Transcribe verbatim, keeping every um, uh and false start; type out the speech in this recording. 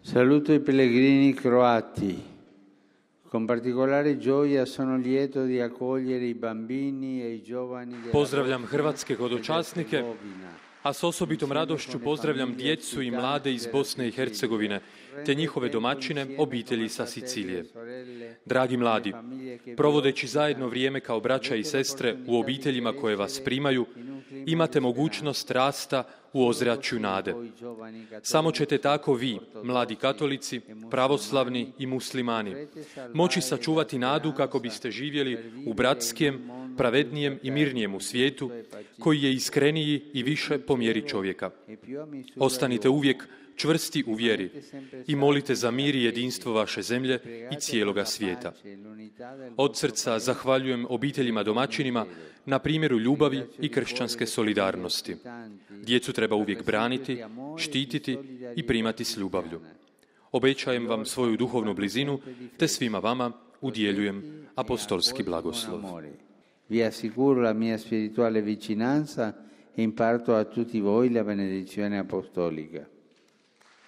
Saluto i pellegrini croati. Con particolare gioia sono lieto di accogliere i bambini e i giovani della Pozdravljam hrvatske hodočasnike, a s osobitom radošću pozdravljam djecu i mlade iz Bosne i Hercegovine, te njihove domaćine, obitelji sa Sicilije. Dragi mladi, provodeći zajedno vrijeme kao braća i sestre u obiteljima koje vas primaju, imate mogućnost rasta u ozračju nade. Samo ćete tako vi, mladi katolici, pravoslavni i muslimani, moći sačuvati nadu kako biste živjeli u bratskijem, pravednijem i mirnijem u svijetu, koji je iskreniji i više po mjeri čovjeka. Ostanite uvijek čvrsti u vjeri i molite za mir i jedinstvo vaše zemlje i cijeloga svijeta. Od srca zahvaljujem obiteljima domaćinima na primjeru ljubavi i kršćanske solidarnosti. Djecu treba uvijek braniti, štititi i primati s ljubavlju. Obećajem vam svoju duhovnu blizinu, te svima vama udjeljujem apostolski blagoslov. Vi assicuro la mia spirituale vicinanza e imparto a tutti voi la benedizione apostolica.